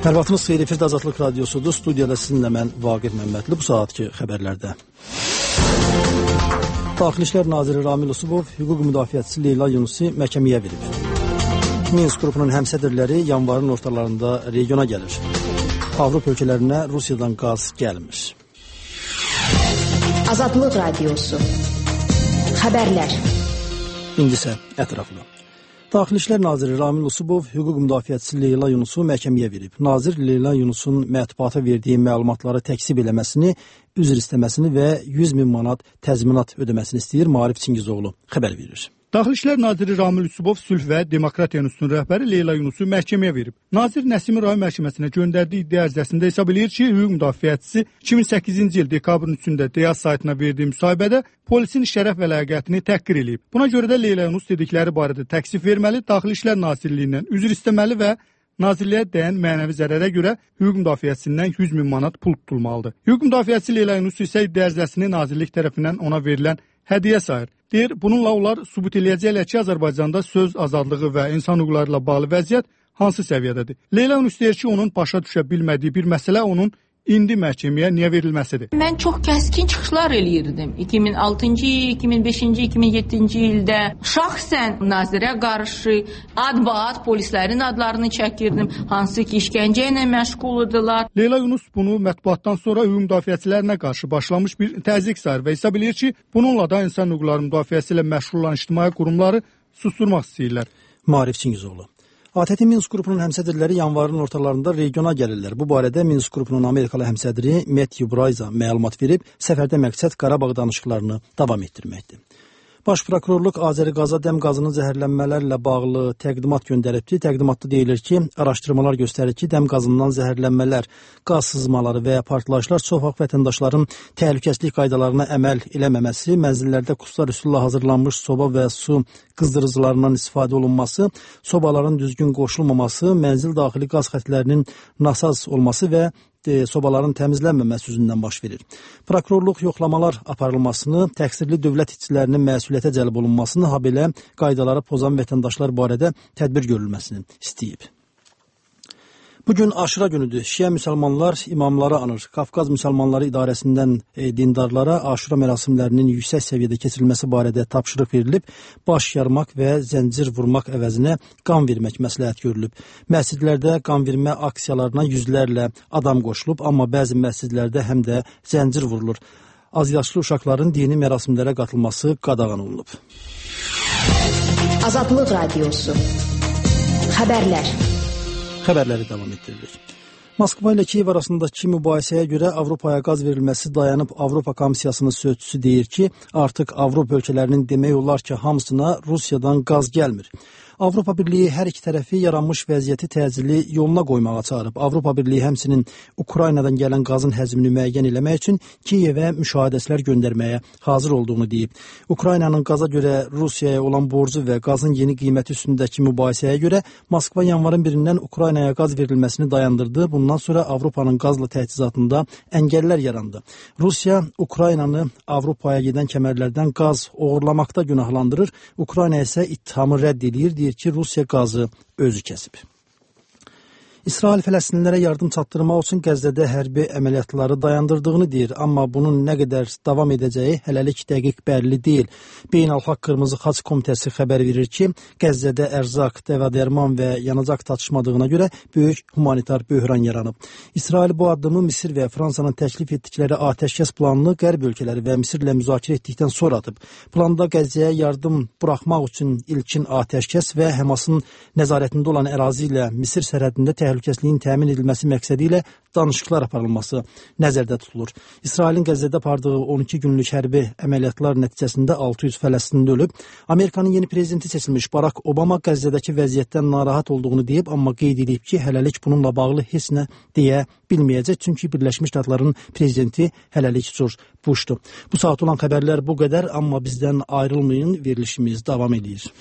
Hər vaxtınız xeyir, efirdə Azadlıq Radiosudur. Studiyada sizinlə mən Vaqif Məmmədli. Bu saatki xəbərlərdə. Daxili İşlər Naziri Ramil Usubov hüquq müdafiəçisi Leyla Yunusi məhkəməyə verib. Minsk qrupunun həmsədrləri yanvarın ortalarında regiona gəlir. Avropa ölkələrinə Rusiyadan qaz gəlmir. Azadlıq Radiosu. Xəbərlər. İndi isə ətraflı. Daxili İşlər Naziri Ramil Usubov hüquq müdafiəçisi Leyla Yunusu məhkəməyə verib. Nazir Leyla Yunusun mətbuata verdiyi məlumatları təkzib eləməsini, üzr istəməsini və 100.000 manat təzminat ödəməsini istəyir. Maarif Çingizoğlu xəbər verir. Daxili İşlər Naziri Ramil Usubov Sülh və Demokratiya İnstitutunun rəhbəri Leyla Yunusu məhkəməyə verib. Nazir Nəsimi rayon məhkəməsinə göndərdiyi iddia ərizəsində hesab eləyir ki, hüquq müdafiəçisi 2008-ci il dekabrın 3-də Deyaz saytına verdiyi müsahibədə polisin şərəf və ləyaqətini təhqir eləyib. Buna görə də Leyla Yunus dedikləri barədə təksif verməli, Daxili İşlər Nazirliyindən üzr istəməli və Nazirliyə dəyən mənəvi zərərə görə hüquq müdafiəçisindən 100.000 manat pul tutulmalıdır. Hüquq müdafiəçisi Leyla Yunus isə iddia ərizəsini Nazirlik tərəfindən ona verilən hədiyyə sayır. Deyir, bununla onlar sübut eləyəcəklər ki, Azərbaycanda söz azadlığı və insan hüquqları ilə bağlı vəziyyət hansı səviyyədədir. Leyla Yunus deyir ki, onun başa düşə bilmədiyi bir məsələ onun indi məhkəməyə niyə verilməsidir. Mən çox kəskin çıxışlar eləyirdim. 2006-cı, 2005-ci, 2007-ci ildə şəxsən nazirə qarşı ad-baad polislərin adlarını çəkirdim, hansı ki işgəncə ilə məşğul idilər. Leyla Yunus bunu mətbuatdan sonra hüquq müdafiəçilərinə qarşı başlamış bir təzyiq sayır və hesab eləyir ki, bununla da insan hüquqları müdafiəsi ilə məşğul olan ictimai qurumları susturmaq istəyirlər. Maarif Çingizoğlu. ATƏT Minsk qrupunun həmsədrləri yanvarın ortalarında regiona gəlirlər. Bu barədə Minsk qrupunun Amerikalı həmsədri Matthew Braiza məlumat verib, səfərdə məqsəd Qarabağ danışıqlarını davam etdirməkdir. Baş prokurorluq Azəriqaza dəm qazının zəhərlənmələrlə bağlı təqdimat göndəribdi. Təqdimatda deyilir ki, araşdırmalar göstərir ki, dəm qazından zəhərlənmələr, qaz sızmaları və partlayışlar çox vaxt vətəndaşların təhlükəsizlik qaydalarına əməl eləməməsi, mənzillərdə kurslar üsulla hazırlanmış soba və su qızdırıcılarından istifadə olunması, sobaların düzgün qoşulmaması, mənzil daxili qaz xətlərinin nasaz olması və sobaların təmizlənməməsi üzündən baş verir. Prokurorluq yoxlamalar aparılmasını, təqsirli dövlət işçilərinin məsuliyyətə cəlb olunmasını, habelə qaydaları pozan vətəndaşlar barədə tədbir görülməsini istəyib. Bugün Aşura günüdür. Şiə müsəlmanlar imamları anır. Qafqaz Müsəlmanları İdarəsindən dindarlara Aşura mərasimlərinin yüksək səviyyədə keçirilməsi barədə tapşırıq verilib. Baş yarmaq və zəncir vurmaq əvəzinə qan vermək məsləhət görülüb. Məscidlərdə qan vermə aksiyalarına yüzlərlə adam qoşulub, amma bəzi məscidlərdə həm də zəncir vurulur. Azyaşlı uşaqların dini mərasimlərə qatılması qadağan olunub. Azadlıq Radiosu. Xəbərlər. Xəbərləri davam etdirilir. Moskva ilə Kiyev arasındakı mübahisəyə görə Avropaya qaz verilməsi dayanıb. Avropa Komissiyasının sözçüsü deyir ki, artıq Avropa ölkələrinin demək olar ki, hamısına Rusiyadan qaz gəlmir. Avropa Birliyi hər iki tərəfi yaranmış vəziyyəti təcili yoluna qoymağa çağırıb. Avropa Birliyi həmçinin Ukraynadan gələn qazın həzmini müəyyən eləmək üçün Kiyevə müşahidəçilər göndərməyə hazır olduğunu deyib. Ukraynanın qaza görə Rusiyaya olan borcu və qazın yeni qiyməti üstündəki mübahisəyə görə Moskva yanvarın 1-dən Ukraynaya qaz verilməsini dayandırdı. Bundan sonra Avropanın qazla təchizatında əngəllər yarandı. Rusiya Ukraynanı Avropaya gedən kəmərlərdən qaz oğurlamaqda günahlandırır. Ukrayna isə ittihamı rədd edir. Deyir ki, Rusiya qazı özü kəsib. İsrail Fələstinlilərə yardım çatdırmaq üçün Qəzzədə hərbi əməliyyatları dayandırdığını deyir, amma bunun nə qədər davam edəcəyi hələlik dəqiq bəlli deyil. Beynəlxalq Qırmızı Xaç Komitəsi xəbər verir ki, Qəzzədə ərzaq, dəva-dərman və yanacaq çatışmadığına görə böyük humanitar böhran yaranıb. İsrail bu addımı Misir və Fransanın təklif etdikləri atəşkəs planını Qərb ölkələri və Misirlə müzakirə etdikdən sonra atıb. Planda Qəzzəyə yardım buraxmaq üçün ilkin atəşkəs və Həmasın nəzarətində olan ərazi ilə Misir sərhədində təhlükəsizliyin təmin edilməsi məqsədi ilə danışıqlar aparılması nəzərdə tutulur. İsrailin Qəzzədə apardığı 12 günlük hərbi əməliyyatlar nəticəsində 600 Fələstinli ölüb. Amerikanın yeni prezidenti seçilmiş Barack Obama Qəzzədəki vəziyyətdən narahat olduğunu deyib, amma qeyd edib ki, hələlik bununla bağlı heç nə deyə bilməyəcək, çünki Birləşmiş Ştatların prezidenti hələlik George Bush'dur. Bu saat olan xəbərlər bu qədər, amma bizdən ayrılmayın, verilişimiz davam edir.